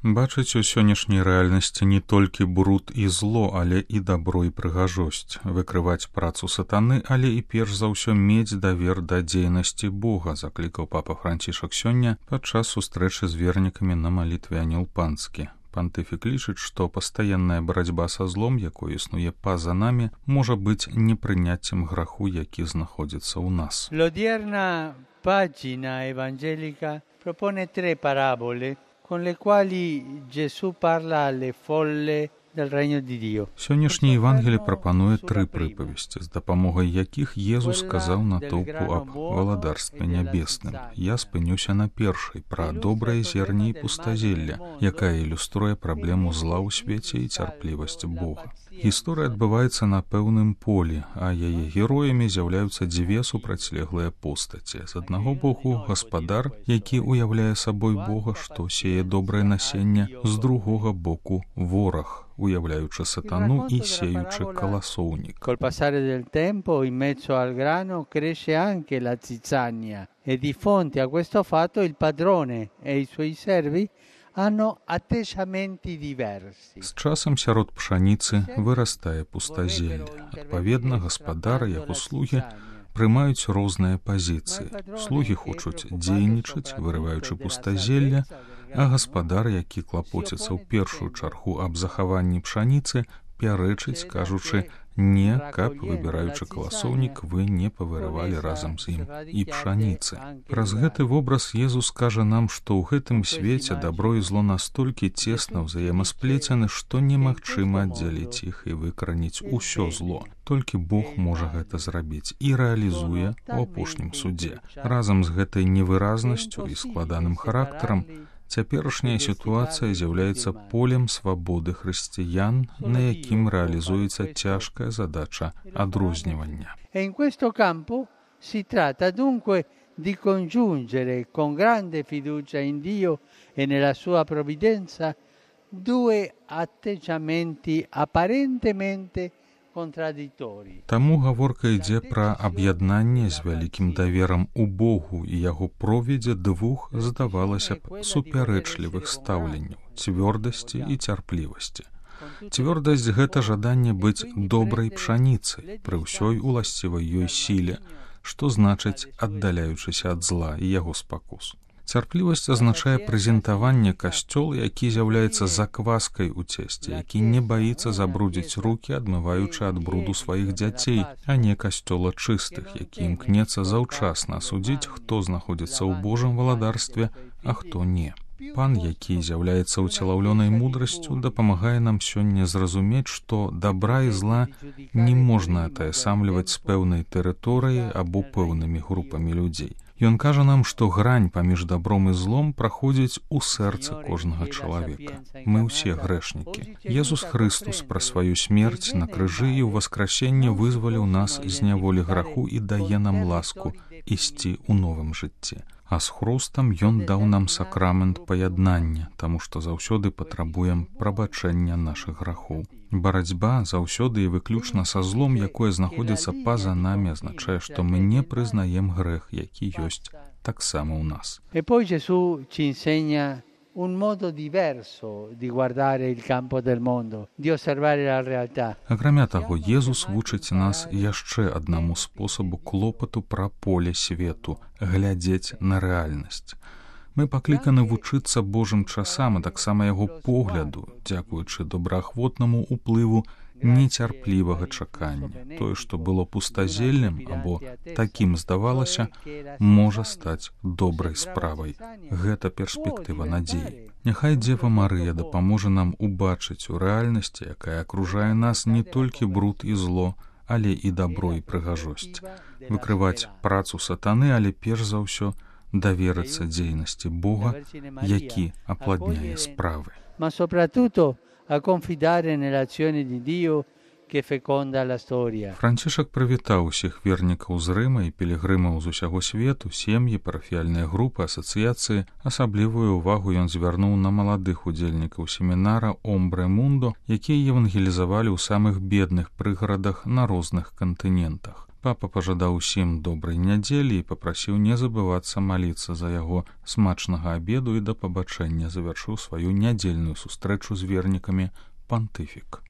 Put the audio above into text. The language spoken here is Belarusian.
Бачыць у сённяшняй рэальнасці не толькі бруд і зло, але і дабро і прыгажосць, выкрываць працу сатаны, але і перш за ўсё мець давер да дзейнасці Бога, заклікаў папа Францішак сёння падчас сустрэчы з вернікамі на малітве Анёл Панскі. Пантыфік лічыць, што пастаянная барацьба са злом, якое існуе па-за намі, можа быць непрыняццем граху, які знаходзіцца ў нас. L'odierna pagina evangelica propone 3 parabole con le quali Gesù parla alle folle del regno di Dio. Сённяшні Евангелі прапануе 3 прыпавесці, з дапамогай якіх Езус сказаў натоўпу аб валадарстве нябесным. Я спынюся на першай, пра добрае зерне і пустазелля, якая ілюструе праблему зла ў свеце і цярплівасць Бога. Гісторыя адбываецца на пэўным полі, а яе героямі з'яўляюцца дзве супрацьлеглыя постаці. З аднаго боку гаспадар, які уяўляе сабой Бога, што сее добрае насенне, з другога боку вораг, уявляючи сатану і сеючи колосовник. Col passare del tempo, in mezzo al grano, cresce anche la zizzania e di fronte a questo fatto il padrone e i suoi servi hanno atteggiamenti diversi. З часам сярод пшаніцы вырастае пустазелле. Адпаведна, гаспадар і яго слугі прымаюць розныя пазіцыі. Слугі хочуць дзейнічаць, вырываючы пустазелле, а гаспадар, які клапоціцца ў першую чаргу аб захаванні пшаніцы, пярэчыць, кажучы, не, каб, выбіраючы каласоўнік, вы не павырывалі разам з ім і пшаніцы. Праз гэты вобраз Езус кажа нам, што ў гэтым свеце дабро і зло настолькі цесна ўзаемасплецены, што немагчыма аддзяліць іх і выкараніць усё зло. Толькі Бог можа гэта зрабіць і рэалізуе ў апошнім судзе. Разам з гэтай невыразнасцю і складаным характарам цяперашняя сітуацыя з'яўляецца полем свабоды хрысціян, на якім рэалізуецца цяжкая задача адрознівання. E in questo campo si tratta dunque di congiungere con grande fiducia in Dio e nella sua provvidenza due atteggiamenti apparentemente contraddittori. Таму гаворка ідзе пра аб'яднанне з вялікім даверам у Богу і яго провідзе двух, здавалася б, супярэчлівых стаўленняў – цвёрдасці і цярплівасці. Цвёрдасць – гэта жаданне быць добрай пшаніцай пры ўсёй уласцівай ёй сіле, што значыць аддаляючыся ад зла і яго спакус. Цярплівасць азначае прэзентаванне касцёла, які з'яўляецца закваскай у цесце, які не баіцца забрудзіць рукі, адмываючы ад бруду сваіх дзяцей, а не касцёла чыстых, які імкнецца заўчасна асудзіць, хто знаходзіцца ў Божым валадарстве, а хто не. Пан, які з'яўляецца ўцелаўлёнай мудрасцю, дапамагае нам сёння зразумець, што дабра і зла не можна атаясамліваць з пэўнай тэрыторыі або пэўнымі групамі людзей. Ён кажа нам, што грань паміж дабром і злом праходзіць у сэрцы кожнага чалавека. Мы ўсе грэшнікі. Езус Хрыстус пра сваю смерць на крыжы і ў васкрасенне вызваліў нас з няволі граху і дае нам ласку ісці ў новым жыцці. А з хрустам ён даў нам сакрамент паяднання, таму што заўсёды патрабуем прабачэння нашых грахоў. Барацьба заўсёды і выключна са злом, якое знаходзіцца па-за намі, азначае, што мы не прызнаем грэх, які ёсць таксама ў нас. E poi Gesù ci insegna un modo diverso di guardare il campo del mondo, di osservare la realtà. Акрамя таго, Езус вучыць нас яшчэ аднаму спосабу клопату пра поле свету – глядзець на рэальнасць. Мы пакліканы вучыцца Божым часам, а таксама яго погляду, дзякуючы добраахвотнаму ўплыву нецярплівага чакання. Тое, што было пустазеллем або такім здавалася, можа стаць добрай справай. Гэта перспектыва надзеі. Няхай Дзева Марыя дапаможа нам убачыць у рэальнасці, якая акружае нас, не толькі бруд і зло, але і дабро і прыгажосць. Выкрываць працу сатаны, але перш за ўсё даверыцца дзейнасці Бога, які апладняе справы. Ma soprattutto a confidare nell'azione di Dio che feconda la storia. Францішак прывітаў усіх вернікаў з Рыма і пілігрымаў з усяго свету, сем'і, парафіяльныя групы, асацыяцыі. Асаблівую ўвагу ён звярнуў на маладых удзельнікаў семінара «Омбре Мундо», якія евангелізавалі ў самых бедных прыгарадах на розных кантынентах. Папа пажадаў усім добрай нядзелі і папрасіў не забывацца маліцца за яго смачнага абеду і да пабачэння, завяршыў сваю нядзельную сустрэчу з вернікамі пантыфік.